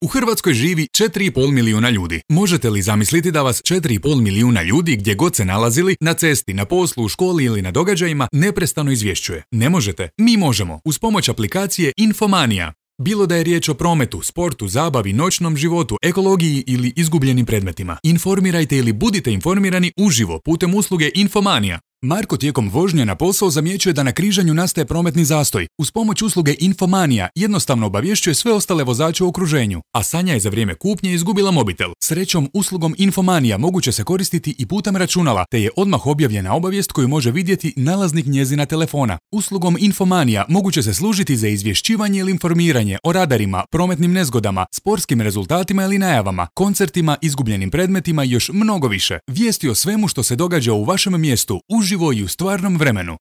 U Hrvatskoj živi 4,5 milijuna ljudi. Možete li zamisliti da vas 4,5 milijuna ljudi, gdje god se nalazili, na cesti, na poslu, u školi ili na događajima, neprestano izvješćuje? Ne možete? Mi možemo, uz pomoć aplikacije Infomania. Bilo da je riječ o prometu, sportu, zabavi, noćnom životu, ekologiji ili izgubljenim predmetima. Informirajte ili budite informirani uživo putem usluge Infomania. Marko tijekom vožnje na posao zamjećuje da na križanju nastaje prometni zastoj. Uz pomoć usluge Infomania jednostavno obavješćuje sve ostale vozače u okruženju, a Sanja je za vrijeme kupnje izgubila mobitel. Srećom, uslugom Infomania moguće se koristiti i putem računala, te je odmah objavljena obavijest koju može vidjeti nalaznik njezina telefona. Uslugom Infomania moguće se služiti za izvješćivanje ili informiranje o radarima, prometnim nezgodama, sportskim rezultatima ili najavama, koncertima, izgubljenim predmetima i još mnogo više. Vijesti o svemu što se događa u vašem mjestu, uživo i u stvarnom vremenu.